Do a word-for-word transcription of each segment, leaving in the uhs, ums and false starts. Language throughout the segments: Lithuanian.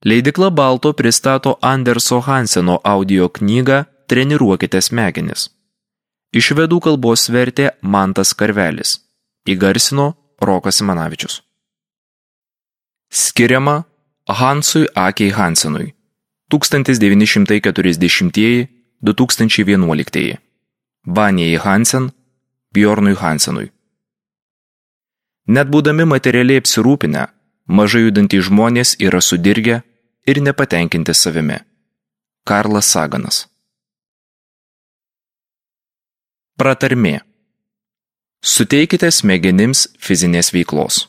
Leidykla Balto pristato Anderso Hanseno audio knygą Treniruokite smegenis. Iš švedų kalbos vertė Mantas Karvelis. Įgarsino Rokas Simanavičius. Skiriama Hansui Akei Hansenui tūkstantis devyni šimtai keturiasdešimtieji - du tūkstančiai vienuoliktieji. Vanijai Hansen, Bjornui Hansenui. Net būdami materialiai apsirūpinę, mažai judantys žmonės yra sudirgę ir nepatenkinti savimi. Karlas Saganas. Pratarmė. Suteikite smegenims fizinės veiklos.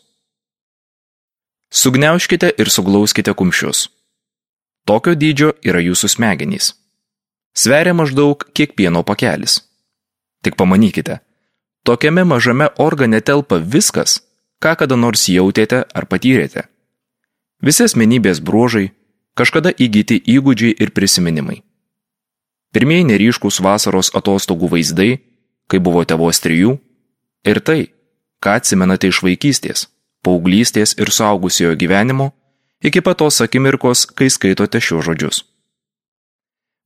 Sugniaužkite ir suglauskite kumščius. Tokio dydžio yra jūsų smegenys. Sveria maždaug kiek pieno pakelis. Tik pamanykite, tokiame mažame organe telpa viskas, ką kada nors jautėte ar patyrėte. Visi asmenybės bruožai, kažkada įgyti įgūdžiai ir prisiminimai. Pirmieji neryškūs vasaros atostogų vaizdai, kai buvote vos trijų, ir tai, ką atsimenate iš vaikystės, paauglystės ir suaugusiojo gyvenimo, iki pat tos akimirkos, kai skaitote šios žodžius.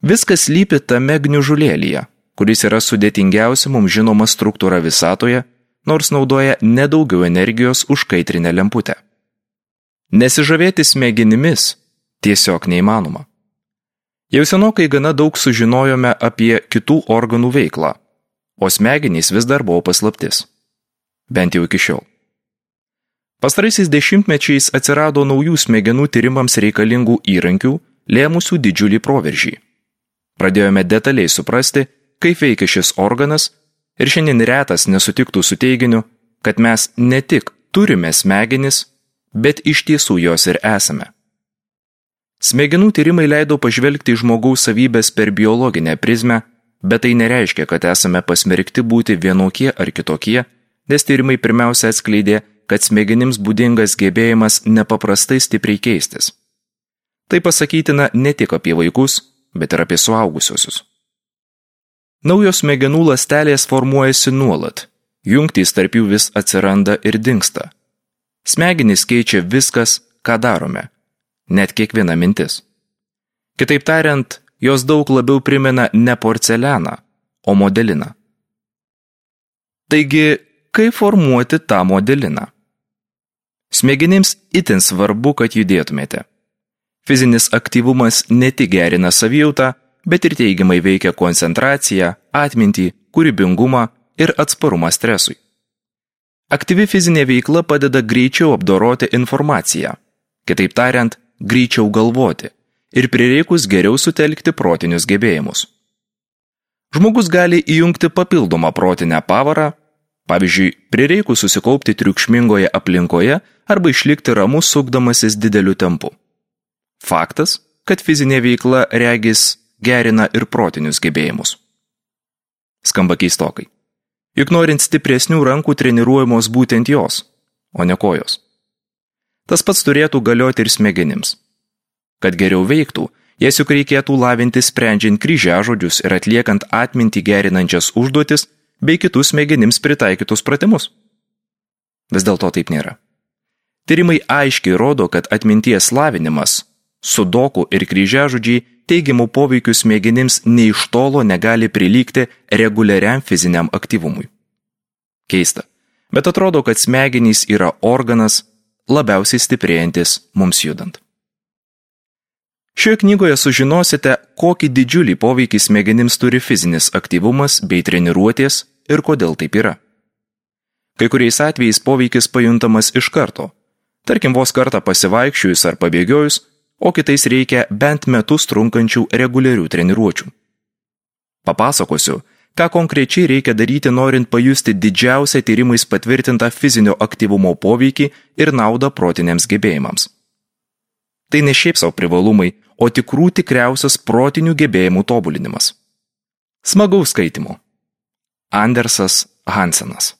Viskas slypi tame gniužulėlyje, kuris yra sudėtingiausia mums žinoma struktūra visatoje, nors naudoja nedaugiau energijos už kaitrinę lemputę. Nesižavėti smegenimis tiesiog neįmanoma. Jau senokai gana daug sužinojome apie kitų organų veiklą, o smegenys vis dar buvo paslaptis. Bent jau iki šiol. Pastaraisiais dešimtmečiais atsirado naujų smegenų tyrimams reikalingų įrankių, lėmusių didžiulį proveržį. Pradėjome detaliai suprasti, kaip veikia šis organas, ir šiandien retas nesutiktų su teiginiu, kad mes ne tik turime smegenis, bet iš tiesų jos ir esame. Smegenų tyrimai leido pažvelgti į žmogaus savybės per biologinę prizmę, bet tai nereiškia, kad esame pasmerkti būti vienokie ar kitokie, nes tyrimai pirmiausia atskleidė, kad smegenims būdingas gebėjimas nepaprastai stipriai keistis. Tai pasakytina ne tik apie vaikus, bet ir apie suaugusiuosius. Naujos smegenų ląstelės formuojasi nuolat, jungtys tarp jų vis atsiranda ir dingsta. Smegenys keičia viskas, ką darome, net kiekviena mintis. Kitaip tariant, jos daug labiau primena ne porcelianą, o modeliną. Taigi, kaip formuoti tą modeliną? Smegenims itin svarbu, kad judėtumėte. Fizinis aktyvumas ne tik gerina savijautą, bet ir teigiamai veikia koncentraciją, atmintį, kūrybingumą ir atsparumą stresui. Aktyvi fizinė veikla padeda greičiau apdoroti informaciją, kitaip tariant, greičiau galvoti ir prireikus geriau sutelkti protinius gebėjimus. Žmogus gali įjungti papildomą protinę pavarą, pavyzdžiui, prireikus susikaupti triukšmingoje aplinkoje arba išlikti ramus sukdamasis dideliu tempu. Faktas, kad fizinė veikla regis gerina ir protinius gebėjimus. Skamba keistokai. Juk norint stipresnių rankų treniruojamos būtent jos, o ne kojos. Tas pats turėtų galioti ir smegenims. Kad geriau veiktų, jas juk reikėtų lavinti sprendžiant kryžiažodžius ir atliekant atmintį gerinančias užduotis bei kitus smegenims pritaikytus pratimus. Vis dėlto taip nėra. Tyrimai aiškiai rodo, kad atminties lavinimas, sudokų ir kryžiažodžiai teigiamų poveikių smegenims nei iš tolo negali prilygti reguliariam fiziniam aktyvumui. Keista, bet atrodo, kad smegenys yra organas labiausiai stiprėjantis mums judant. Šioje knygoje sužinosite, kokį didžiulį poveikį smegenims turi fizinis aktyvumas bei treniruotės ir kodėl taip yra. Kai kuriais atvejais poveikis pajuntamas iš karto, tarkim vos kartą pasivaikščiojus ar pabėgiojus, o kitais reikia bent metus trunkančių reguliarių treniruočių. Papasakosiu, ką konkrečiai reikia daryti, norint pajusti didžiausią tyrimais patvirtintą fizinio aktyvumo poveikį ir naudą protiniams gebėjimams. Tai ne šiaip savo privalumai, o tikrų tikriausias protinių gebėjimų tobulinimas. Smagaus skaitimo. Andersas Hansenas.